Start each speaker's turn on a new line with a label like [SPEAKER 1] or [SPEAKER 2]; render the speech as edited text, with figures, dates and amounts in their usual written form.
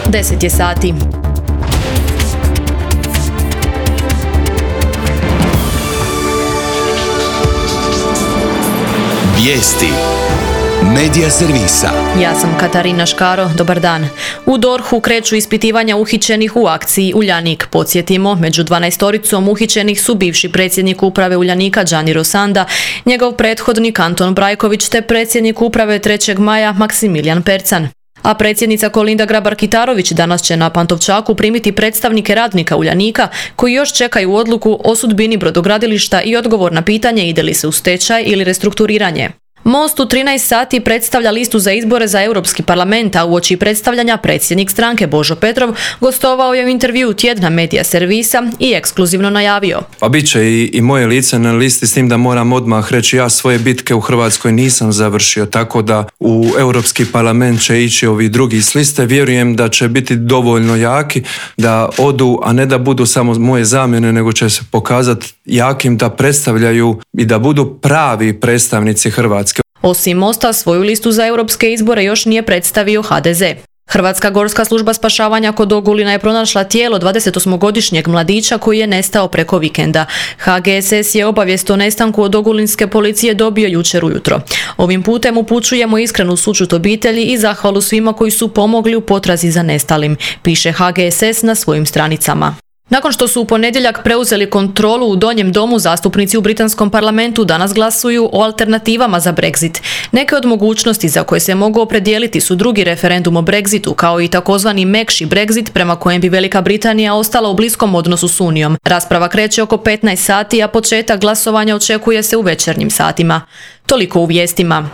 [SPEAKER 1] 10 je sati.
[SPEAKER 2] Vijesti Medija servisa.
[SPEAKER 1] Ja sam Katarina Škaro, dobar dan. U DORH-u kreću ispitivanja uhićenih u akciji Uljanik. Podsjetimo, među 12-oricom uhićenih su bivši predsjednik uprave Uljanika Gianni Rossanda, njegov prethodnik Anton Brajković te predsjednik uprave 3. maja Maksimilijan Percan. A predsjednica Kolinda Grabar-Kitarović danas će na Pantovčaku primiti predstavnike radnika Uljanika koji još čekaju odluku o sudbini brodogradilišta i odgovor na pitanje ide li se u stečaj ili restrukturiranje. Most u 13 sati predstavlja listu za izbore za Europski parlament, a uoči predstavljanja predsjednik stranke Božo Petrov gostovao je u intervju tjedna Medija servisa i ekskluzivno najavio.
[SPEAKER 3] Pa bit će i moje lice na listi, s tim da moram odmah reći, ja svoje bitke u Hrvatskoj nisam završio, tako da u Europski parlament će ići ovi drugi s liste. Vjerujem da će biti dovoljno jaki da odu, a ne da budu samo moje zamjene, nego će se pokazati jakim da predstavljaju i da budu pravi predstavnici Hrvatske.
[SPEAKER 1] Osim Mosta, svoju listu za europske izbore još nije predstavio HDZ. Hrvatska gorska služba spašavanja kod Ogulina je pronašla tijelo 28-godišnjeg mladića koji je nestao preko vikenda. HGSS je obavijest o nestanku od ogulinske policije dobio jučer ujutro. Ovim putem upućujemo iskrenu sućut obitelji i zahvalu svima koji su pomogli u potrazi za nestalim, piše HGSS na svojim stranicama. Nakon što su u ponedjeljak preuzeli kontrolu u Donjem domu, zastupnici u britanskom parlamentu danas glasuju o alternativama za Brexit. Neke od mogućnosti za koje se mogu opredijeliti su drugi referendum o Brexitu, kao i takozvani mekši Brexit, prema kojem bi Velika Britanija ostala u bliskom odnosu s Unijom. Rasprava kreće oko 15 sati, a početak glasovanja očekuje se u večernjim satima. Toliko u vijestima.